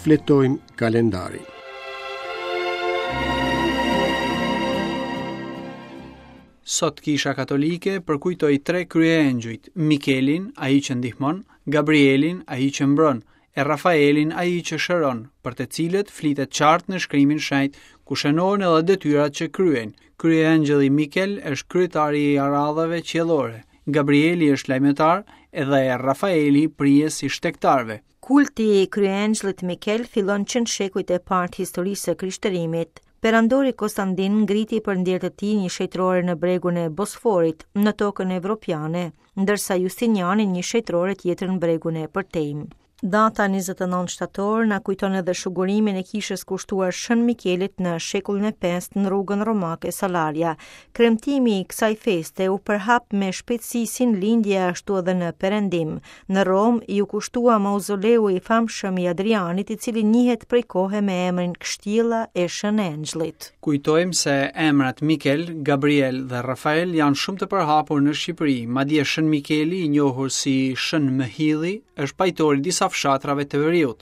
Shfletojmë kalendarin. Sot Kisha Katolike përkujtoi tre kryeëngjujt, Mikelin, ai që ndihmon, Gabrielin, ai që mbron, e Rafaelin, ai që shëron, për të cilët flitet qartë në shkrimin e shenjtë, ku shënohen edhe detyrat që kryejnë. Kryeëngjëlli Mikel është kryetari i aradhave qiellore, Gabrieli është lajmëtar edhe Rafaeli prijës i shtegtarëve. Kulti i kryeëngjëllit Mikel fillon që në shekujt e parë të historisë së krishterimit. Perandori Kostandin ngriti për nder të tij një shenjtërore në bregun e Bosforit, në tokën evropiane, ndërsa Justiniani një shenjtërore tjetër në bregun e përtejmë. Data 29 shtator na kujton edhe shugurimin e kishës kushtuar Shën Mikelit në shekullin e 5 në rrugën romake Salaria. Kremtimi i kësaj feste u përhap me shpejtësi si në lindje ashtu edhe në perëndim. Në Romë iu kushtua mauzoleu i famshëm i Adrianit, i cili njihet prej kohe me emrin Kështjella e Shën Engjëllit. Kujtojmë se emrat Mikel, Gabriel dhe Rafael janë shumë të përhapur në Shqipëri, madje Shën Mikeli, i njohur si Shën Mëhilli, është pajtor i disa fshatrave të veriut.